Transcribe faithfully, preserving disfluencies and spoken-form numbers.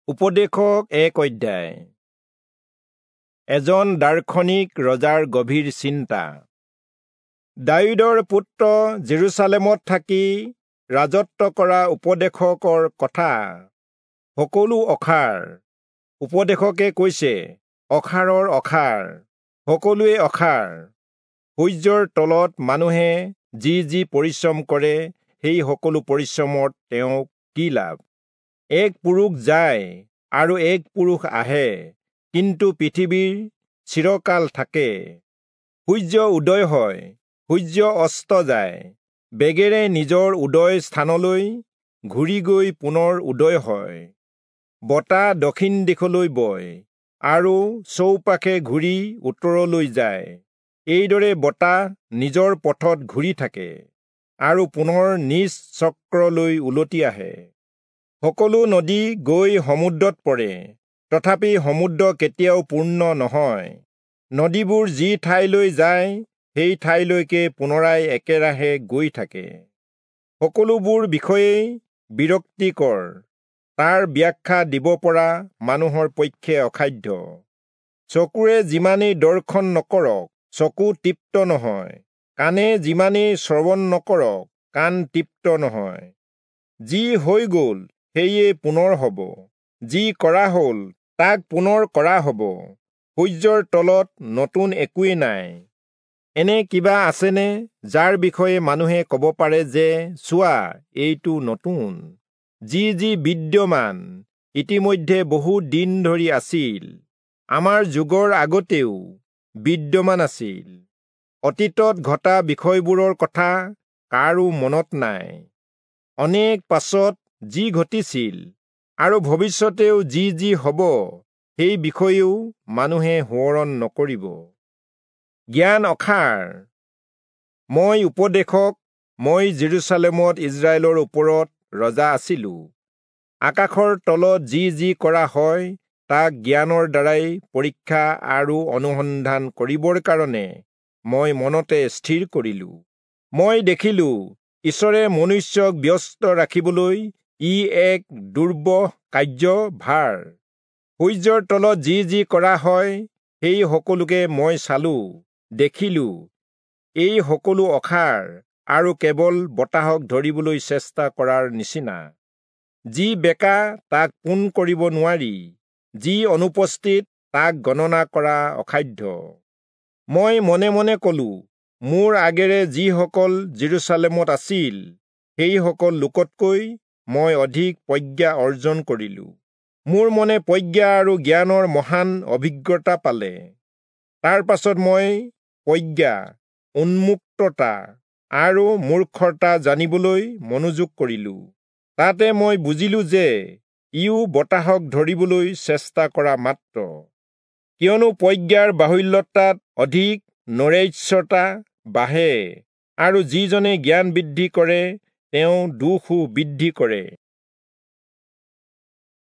উপদেশক এক অধ্যায়। এজন দাৰ্শনিক ৰজাৰ গভীৰ চিন্তা। দায়ূদৰ পুত্ৰ জেৰুচালেমত থাকি ৰাজত্ব কৰা উপদেশকৰ কথা। সকলো অসাৰ। উপদেশকে কৈছে, অসাৰৰ অসাৰ, সকলোৱে অসাৰ। সূৰ্যৰ তলত মানুহে যি যি পৰিশ্ৰম কৰে, সেই সকলো পৰিশ্ৰমত তেওঁক কি লাভ? এক পুৰুষ যায় আৰু এক পুৰুষ আহে, কিন্তু পৃথিৱীৰ চিৰকাল থাকে। সূৰ্য উদয় হয়, সূৰ্য অস্ত যায়, বেগেৰে নিজৰ উদয় স্থানলৈ ঘূৰি গৈ পুনৰ উদয় হয়। বতাহ দক্ষিণ দিশলৈ বয় আৰু চৌপাশে ঘূৰি উত্তৰলৈ যায়। এইদৰে বতাহ নিজৰ পথত ঘূৰি থাকে আৰু পুনৰ নিজ চক্ৰলৈ উলটি আহে। সকলো নদী গৈ সমুদ্ৰত পৰে, তথাপি সমুদ্ৰ কেতিয়াও পূৰ্ণ নহয়। নদীবোৰ যি ঠাইলৈ যায়, সেই ঠাইলৈকে পুনৰাই একেৰাহে গৈ থাকে। সকলোবোৰ বিষয়েই বিৰক্তিকৰ, তাৰ ব্যাখ্যা দিব পৰা মানুহৰ পক্ষে অসাধ্য। চকুৰে যিমানেই দৰ্শন নকৰক, চকু তৃপ্ত নহয়। কাণে যিমানেই শ্ৰৱণ নকৰক, কাণ তৃপ্ত নহয়। যি হৈ গ'ল সেয়ে পুনৰ হ'ব, যি কৰা হ'ল তাক পুনৰ কৰা হ'ব। সূৰ্যৰ তলত নতুন একোৱেই নাই। এনে কিবা আছেনে যাৰ বিষয়ে মানুহে ক'ব পাৰে যে, চোৱা, এইটো নতুন? যি যি বিদ্যমান ইতিমধ্যে বহু দিন ধৰি আছিল, আমাৰ যুগৰ আগতেও বিদ্যমান আছিল। অতীতত ঘটা বিষয়বোৰৰ কথা কাৰো মনত নাই। অনেক পাছত যি ঘটিছিল আৰু ভৱিষ্যতেও যি যি হ'ব, সেই বিষয়েও মানুহে সোঁৱৰণ নকৰিব। জ্ঞান অসাৰ। মই উপদেশক, মই জেৰুচালেমত ইজৰাইলৰ ওপৰত ৰজা আছিলো। আকাশৰ তলত যি যি কৰা হয়, তাক জ্ঞানৰ দ্বাৰাই পৰীক্ষা আৰু অনুসন্ধান কৰিবৰ কাৰণে মই মনতে স্থিৰ কৰিলো। মই দেখিলো, ঈশ্বৰে মনুষ্যক ব্যস্ত ৰাখিবলৈ ই এক দুৰ্বহ কাৰ্যভাৰ। সূৰ্যৰ তলত যি যি কৰা হয়, সেই সকলোকে মই চালো, দেখিলো, এই সকলো অসাৰ আৰু কেৱল বতাহক ধৰিবলৈ চেষ্টা কৰাৰ নিচিনা। যি বেকা তাক পোন কৰিব নোৱাৰি, যি অনুপস্থিত তাক গণনা কৰা অসাধ্য। মই মনে মনে কলো, মোৰ আগেৰে যিসকল জেৰুচালেমত আছিল, সেইসকল লোকতকৈ মই অধিক প্ৰজ্ঞা অৰ্জন কৰিলো। মোৰ মনে প্ৰজ্ঞা আৰু জ্ঞানৰ মহান অভিজ্ঞতা পালে। তাৰ পাছত মই প্ৰজ্ঞা, উন্মুক্ততা আৰু মূৰ্খতা জানিবলৈ মনোযোগ কৰিলো। তাতে মই বুজিলো যে ইও বতাহক ধৰিবলৈ চেষ্টা কৰা মাত্ৰ। কিয়নো প্ৰজ্ঞাৰ বাহুল্যতাত অধিক নৈৰাশ্যতা বাঢ়ে, আৰু যিজনে জ্ঞান বৃদ্ধি কৰে, তেওঁ দুখো বৃদ্ধি কৰে।